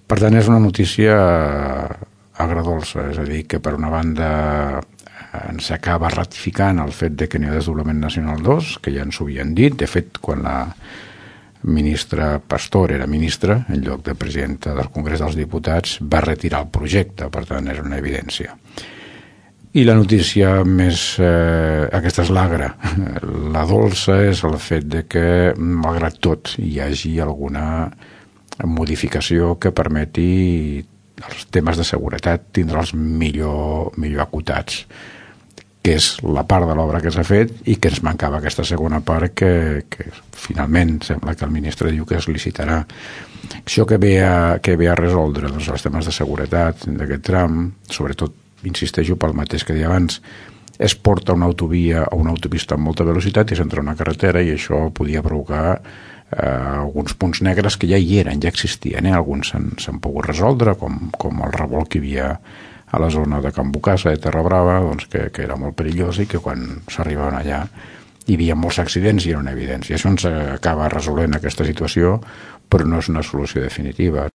Per tant, és una notícia agredolça, és a dir, que per una banda ens acaba ratificant el fet de que n'hi ha desdoblament nacional 2, que ja ens ho havien dit. De fet, quan la ministra Pastor era ministra, en lloc de presidenta del Congrés dels Diputats, va retirar el projecte, per tant, era una evidència. I la notícia més... aquesta és l'agra. La dolça és el fet de que, malgrat tot, hi hagi alguna modificació que permeti els temes de seguretat tindre'ls millor acotats, que és la part de l'obra que s'ha fet i que ens mancava aquesta segona part que finalment sembla que el ministre diu que es licitarà. Això que ve a resoldre doncs, els temes de seguretat d'aquest tram, sobretot, insisteixo pel mateix que deia abans, es porta una autovia o una autopista amb molta velocitat i s'entra a una carretera i això podia provocar alguns punts negres que ja hi eren, ja existien, alguns s'han pogut resoldre, com el revolt que hi havia a la zona de Can Bocassa, de Terra Brava, doncs, que era molt perillós i que quan s'arribaven allà hi havia molts accidents i era una evidència. Això ens acaba resolent aquesta situació, però no és una solució definitiva.